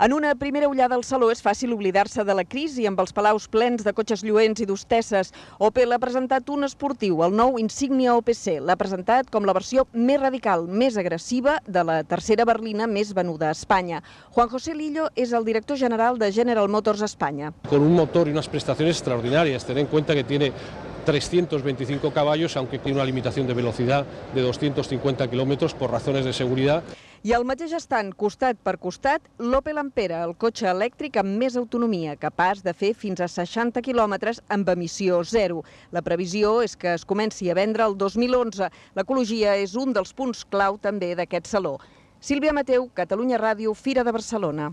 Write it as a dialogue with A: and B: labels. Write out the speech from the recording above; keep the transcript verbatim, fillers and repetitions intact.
A: En una primera ullada al saló és fàcil oblidar-se de la crisi amb els palaus plens de cotxes lluents i d'hostesses. Opel ha presentat un esportiu, el nou Insignia O P C. L'ha presentat com la versió més radical, més agressiva de la tercera berlina més venuda a Espanya. Juan José Lillo és el director general de General Motors España.
B: Con un motor y unas prestaciones extraordinarias. Ten en cuenta que tiene trescientos veinticinco caballos, aunque tiene una limitación de velocidad de doscientos cincuenta kilómetros por razones de seguridad.
A: I al mateix estant, costat per costat, l'Opel Ampera, el cotxe elèctric amb més autonomia, capaç de fer fins a seixanta quilòmetres amb emissió zero. La previsió és que es comenci a vendre el dos mil onze. L'ecologia és un dels punts clau també d'aquest saló. Sílvia Mateu, Catalunya Ràdio, Fira de Barcelona.